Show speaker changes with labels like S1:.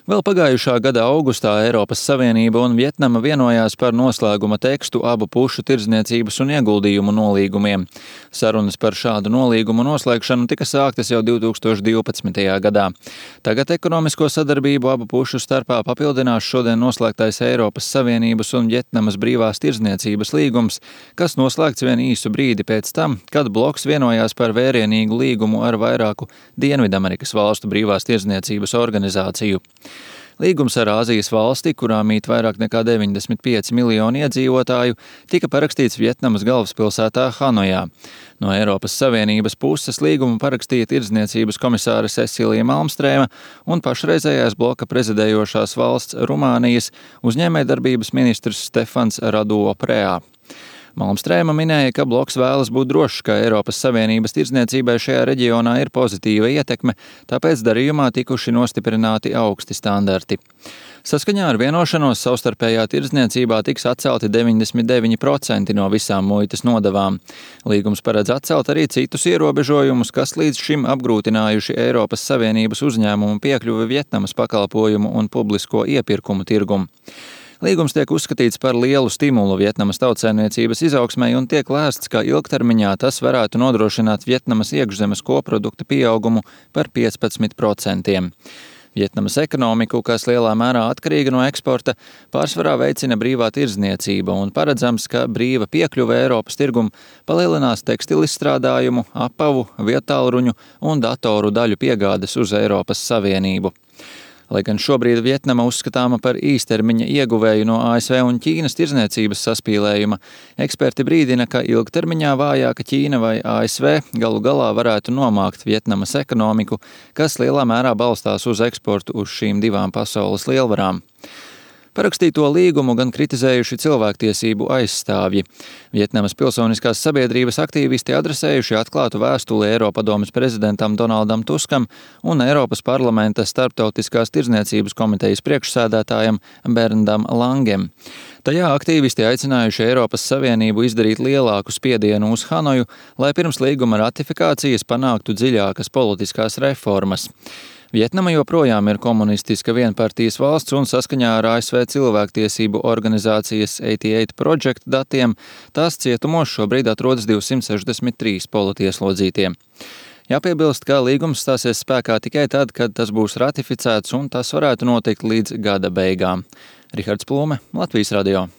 S1: Vēl pagājušā gada augustā Eiropas Savienība un Vjetnama vienojās par noslēguma tekstu abu pušu tirdzniecības un ieguldījumu nolīgumiem. Sarunas par šādu nolīgumu noslēgšanu tika sāktas jau 2012. gadā. Tagad ekonomisko sadarbību abu pušu starpā papildinās šodien noslēgtais Eiropas Savienības un Vjetnamas brīvās tirdzniecības līgums, kas noslēgts vien īsu brīdi pēc tam, kad bloks vienojās par vērienīgu līgumu ar vairāku Dienvidamerikas valstu brīvās tirdzniecības organizāciju. Līgums ar Āzijas valsti, kurā mīt vairāk nekā 95 miljoni iedzīvotāju, tika parakstīts Vjetnamas galvaspilsētā Hanojā. No Eiropas Savienības puses līgumu parakstīja tirdzniecības komisāre Cecilija Malmstrēma un pašreizējais bloka prezidējošās valsts Rumānijas uzņēmējdarbības ministrs Stefans Radu Preā. Malmstrēma minēja, ka bloks vēlas būt drošs, ka Eiropas Savienības tirdzniecībai šajā reģionā ir pozitīva ietekme, tāpēc darījumā tikuši nostiprināti augsti standarti. Saskaņā ar vienošanos savstarpējā tirdzniecībā tiks atcelti 99% no visām muitas nodevām. Līgums paredz atcelt arī citus ierobežojumus, kas līdz šim apgrūtinājuši Eiropas Savienības uzņēmumu piekļuvi Vjetnamas pakalpojumu un publisko iepirkumu tirgumu. Līgums tiek uzskatīts par lielu stimulu Vjetnamas tautsaimniecības izaugsmei un tiek lēsts, ka ilgtermiņā tas varētu nodrošināt Vjetnamas iekšzemes koprodukta pieaugumu par 15%. Vjetnamas ekonomiku, kas lielā mērā atkarīga no eksporta, pārsvarā veicina brīvā tirdzniecība un paredzams, ka brīva piekļuve Eiropas tirgumu palielinās tekstilizstrādājumu, apavu, vietālruņu un datoru daļu piegādes uz Eiropas Savienību. Lai gan šobrīd Vjetnama uzskatāma par īstermiņa ieguvēju no ASV un Ķīnas tirdzniecības saspīlējuma, eksperti brīdina, ka ilgtermiņā vājāka Ķīna vai ASV galu galā varētu nomākt Vjetnamas ekonomiku, kas lielā mērā balstās uz eksportu uz šīm divām pasaules lielvarām. Parakstīto līgumu gan kritizējuši cilvēktiesību aizstāvji. Vjetnamas pilsoniskās sabiedrības aktīvisti adresējuši atklātu vēstuli Eiropadomes prezidentam Donaldam Tuskam un Eiropas parlamenta starptautiskās tirdzniecības komitejas priekšsēdētājam Berndam Langem. Tajā aktīvisti aicinājuši Eiropas Savienību izdarīt lielāku spiedienu uz Hanoju, lai pirms līguma ratifikācijas panāktu dziļākas politiskās reformas. Vjetnama joprojām ir komunistiska vienpartijas valsts un saskaņā ar ASV cilvēktiesību organizācijas 88 Project datiem tās cietumos šobrīd atrodas 263 politieslodzītie. Jāpiebilst, ka līgums stāsies spēkā tikai tad, kad tas būs ratificēts un tas varētu notikt līdz gada beigām. Rihards Plūme, Latvijas radio.